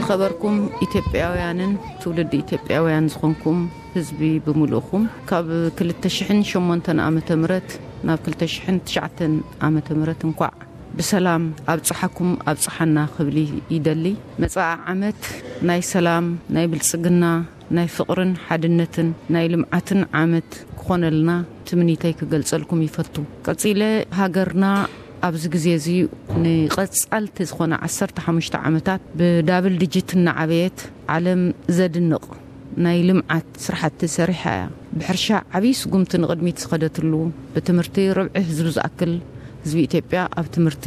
ከበርኩም ኢትዮጵያውያንን ትውልዲ ኢትዮጵያውያን ዝኾንኩም ህዝቢ ብምሉእኹም፣ ካብ ክልተ ሽሕን ሸሞንተን ዓመተ ምህረት ናብ ክልተ ሽሕን ትሽዓተን ዓመተ ምህረት እንኳዕ ብሰላም ኣብጽሓኩም ኣብጽሓና ክብል ይደሊ። መጻኢ ዓመት ናይ ሰላም፣ ናይ ብልጽግና፣ ናይ ፍቕርን ሓድነትን፣ ናይ ልምዓትን ዓመት ክኾነልና ትምኒተይ ክገልጸልኩም ይፈቱ። ቀጺለ፣ ሃገርና ኣብዚ ግዜ እዚ ንቐጻልቲ ዝኾነ ዓሰርተ ሓሙሽተ ዓመታት ብዳብል ዲጂት እናዓበየት ዓለም ዘድንቕ ናይ ልምዓት ስራሕቲ ሰሪሓ እያ። ብሕርሻ ዓብዪ ስጉምቲ ንቕድሚት ዝኸደትሉ፣ ብትምህርቲ ርብዒ ህዝቢ ዝኣክል ህዝቢ ኢትዮጵያ ኣብ ትምህርቲ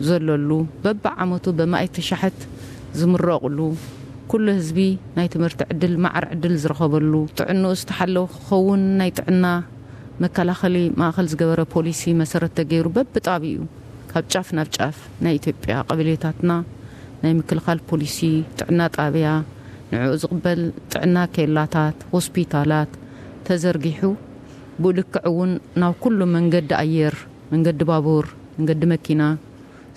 ዘለሉ፣ በብዓመቱ በማእቲ ሻሕት ዝምረቑሉ፣ ኩሉ ህዝቢ ናይ ትምህርቲ ዕድል፣ ማዕረ ዕድል ዝረኸበሉ፣ ጥዕንኡ ዝተሓለወ ክኸውን ናይ ጥዕና መከላኸሊ ማእኸል ዝገበረ ፖሊሲ መሰረት ተገይሩ በብጣቢኡ ካብ ጫፍ ናብ ጫፍ ናይ ኢትዮጵያ ቀበሌታትና ናይ ምክልኻል ፖሊሲ ጥዕና ጣብያ፣ ንዕኡ ዝቕበል ጥዕና ኬላታት፣ ሆስፒታላት ተዘርጊሑ፣ ብኡ ልክዕ እውን ናብ ኩሉ መንገዲ ኣየር፣ መንገዲ ባቡር፣ መንገዲ መኪና፣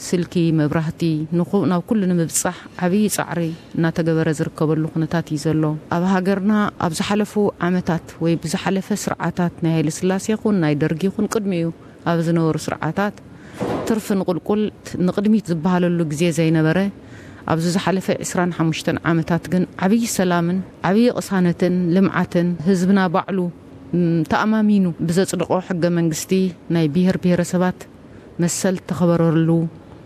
ስልኪ፣ መብራህቲ ንኹ-፣ ናብ ኩሉ ንምብጻሕ ዓብዪ ጻዕሪ እናተገበረ ዝርከበሉ ኩነታት እዩ ዘሎ። ኣብ ሃገርና ኣብ ዝሓለፉ ዓመታት ወይ ብዝሓለፈ ስርዓታት ናይ ሃይለ ስላሴ ይኹን ናይ ደርጊ ይኹን ቅድሚኡ ኣብ ዝነበሩ ስርዓታት ትርፊ ንቁልቁል ንቕድሚት ዝበሃለሉ ግዜ ዘይነበረ፣ ኣብዚ ዝሓለፈ ዕስራን ሓሙሽተን ዓመታት ግን ዓብዪ ሰላምን ዓብዪ ቅሳነትን ልምዓትን ህዝብና ባዕሉ፣ ም፣ ተኣማሚኑ ብዘጽደቖ ሕገ መንግስቲ ናይ ብሄር ብሄረሰባት መሰል ተኸበረሉ፣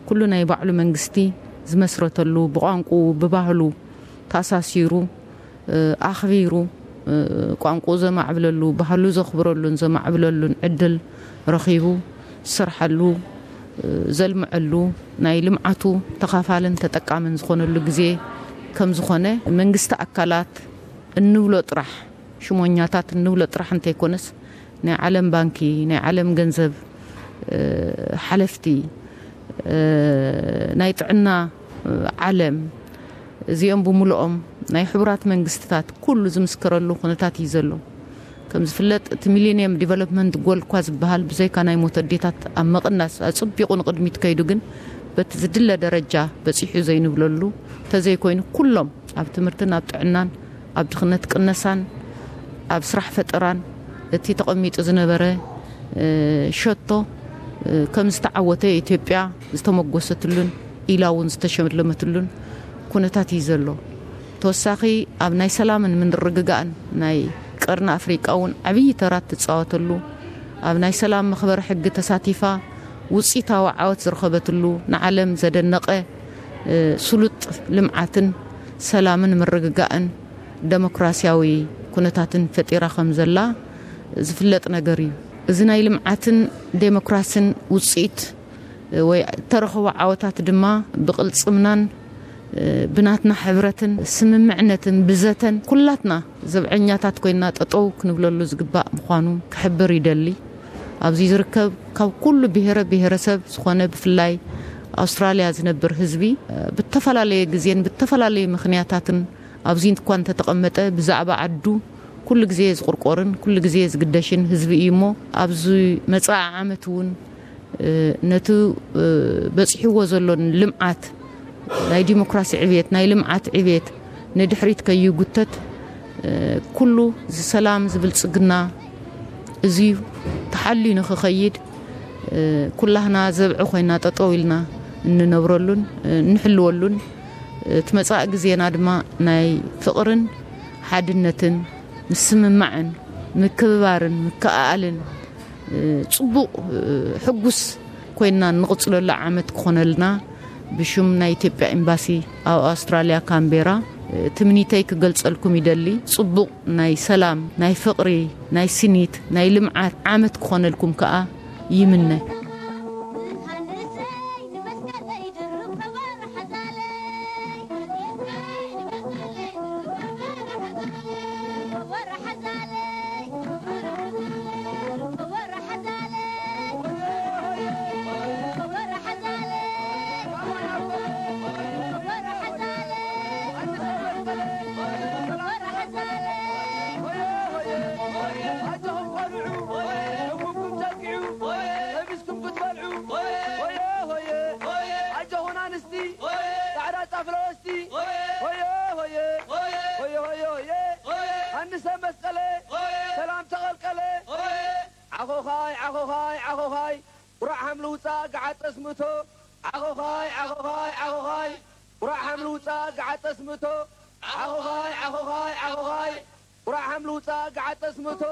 ኩሉ ናይ ባዕሉ መንግስቲ ዝመስረተሉ፣ ብቋንቁ ብባህሉ ተኣሳሲሩ፣ እ፣ ኣኽቢሩ፣ እ፣ ቋንቁኡ ዘማዕብለሉ፣ ባህሉ ዘኽብረሉን ዘማዕብለሉን ዕድል ረኺቡ ዝሰርሓሉ፣ እ፣ ዘልምዐሉ፣ ናይ ልምዓቱ ተኻፋልን ተጠቃምን ዝኾነሉ ግዜ ከም ዝኾነ መንግስቲ ኣካላት እንብሎ ጥራሕ፣ ሽሞኛታት እንብሎ ጥራሕ እንተይኮነስ፣ ናይ ዓለም ባንኪ፣ ናይ ዓለም ገንዘብ፣ እ፣ ሓለፍቲ፣ እ፣ ናይ ጥዕና፣ እ፣ ዓለም፣ እዚኦም ብምሉኦም ናይ ሕቡራት መንግስትታት ኩሉ ዝምስክረሉ ኩነታት እዩ ዘሎ። ከም ዝፍለጥ፣ እቲ ሚሊኒየም ዲቨሎፕመንት ጎል እኳ ዝበሃል ብዘይካ ናይ ሞት ኣዴታት ኣብ መቕናስ ኣጽቢቑ ንቕድሚት ከይዱ ግን በቲ ዝድለ ደረጃ በጺሑ ዘይንብለሉ እንተዘይኮይኑ ኩሎም ኣብ ትምህርትን ኣብ ጥዕናን ኣብ ድኽነት ቅነሳን ኣብ ስራሕ ፈጠራን እቲ ተቐሚጡ ዝነበረ፣ እ፣ ሸቶ፣ እ፣ ከም ዝተዓወተ ኢትዮጵያ ዝተመጎሰትሉን ኢላ እውን ዝተሸለመትሉን ኩነታት እዩ ዘሎ። ተወሳኺ ኣብ ናይ ሰላምን ምንርግጋእን ናይ ቀርኒ ኣፍሪቃ እውን ዓብዪ ተራ ትጻወተሉ፣ ኣብ ናይ ሰላም መኽበሪ ሕጊ ተሳቲፋ ውጽኢታዊ ዓወት ዝረኸበትሉ ንዓለም ዘደነቐ፣ እ፣ ስሉጥ ልምዓትን ሰላምን ምርግጋእን ደሞክራሲያዊ ኩነታትን ፈጢራ ከም ዘላ ዝፍለጥ ነገር እዩ። እዚ ናይ ልምዓትን ዴሞክራሲን ውጽኢት ወይ ተረኸቦ ዓወታት ድማ ብቕልጽምናን ብናትና ሕብረትን ስምምዕነትን ብዘተን ኩላትና ዘብዐኛታት ኮይና ጠጠው ክንብለሉ ዝግባእ ምዃኑ ክሕብር ይደሊ። ኣብዚ ዝርከብ ካብ ኩሉ ብሔረ ብሔረሰብ ዝኾነ ብፍላይ ኣውስትራልያ ዝነብር ህዝቢ ብተፈላለየ ግዜን ብተፈላለየ ምኽንያታትን ኣብዚ እንኳ እንተተቐመጠ ብዛዕባ ዓዱ ኩሉ ግዜ ዝቑርቆርን ኩሉ ግዜ ዝግደሽን ህዝቢ እዩ እሞ ኣብዚ መጻኢ ዓመት እውን ነቲ በጺሕዎ ዘሎን ልምዓት ናይ ዲሞክራሲ ዕብየት ናይ ልምዓት ዕብየት ንድሕሪት ከይጉተት ኩሉ ዝሰላም ዝብልጽግና እዚ ተሓልዩ ንኽኸይድ ኩላህና ዘብዒ ኮይና ጠጠው ኢልና እንነብረሉን እንሕልወሉን እቲ መጻኢ ግዜና ድማ ናይ ፍቕርን ሓድነትን ምስምማዕን ምክብባርን ምክኣኣልን ጽቡቕ ሕጉስ ኮይና እንቕጽለሉ ዓመት ክኾነልና ብሽም ናይ ኢትዮጵያ ኤምባሲ ኣብ ኣውስትራልያ ካምቤራ ትምኒተይ ክገልጸልኩም ይደሊ። ጽቡቕ ናይ ሰላም ናይ ፍቕሪ ናይ ስኒት ናይ ልምዓት ዓመት ክኾነልኩም ከኣ ይምነ። ሰ መስቀለ ሰላም ተቐልቀለ። ዓኾኻይ ዓኾኻይ ዓኾኻይ ቁራዕ ሃምልውፃ ገዓጠስ ምእቶ። ዓኾኻይ ዓኾኻይ ዓኾኻይ ቁራዕ ሃምልውፃ ገዓጠስ ምእቶ። ዓኾኻይ ዓኾኻይ ዓኾኻይ ቁራዕ ሃምልውፃ ገዓጠስ ምእቶ።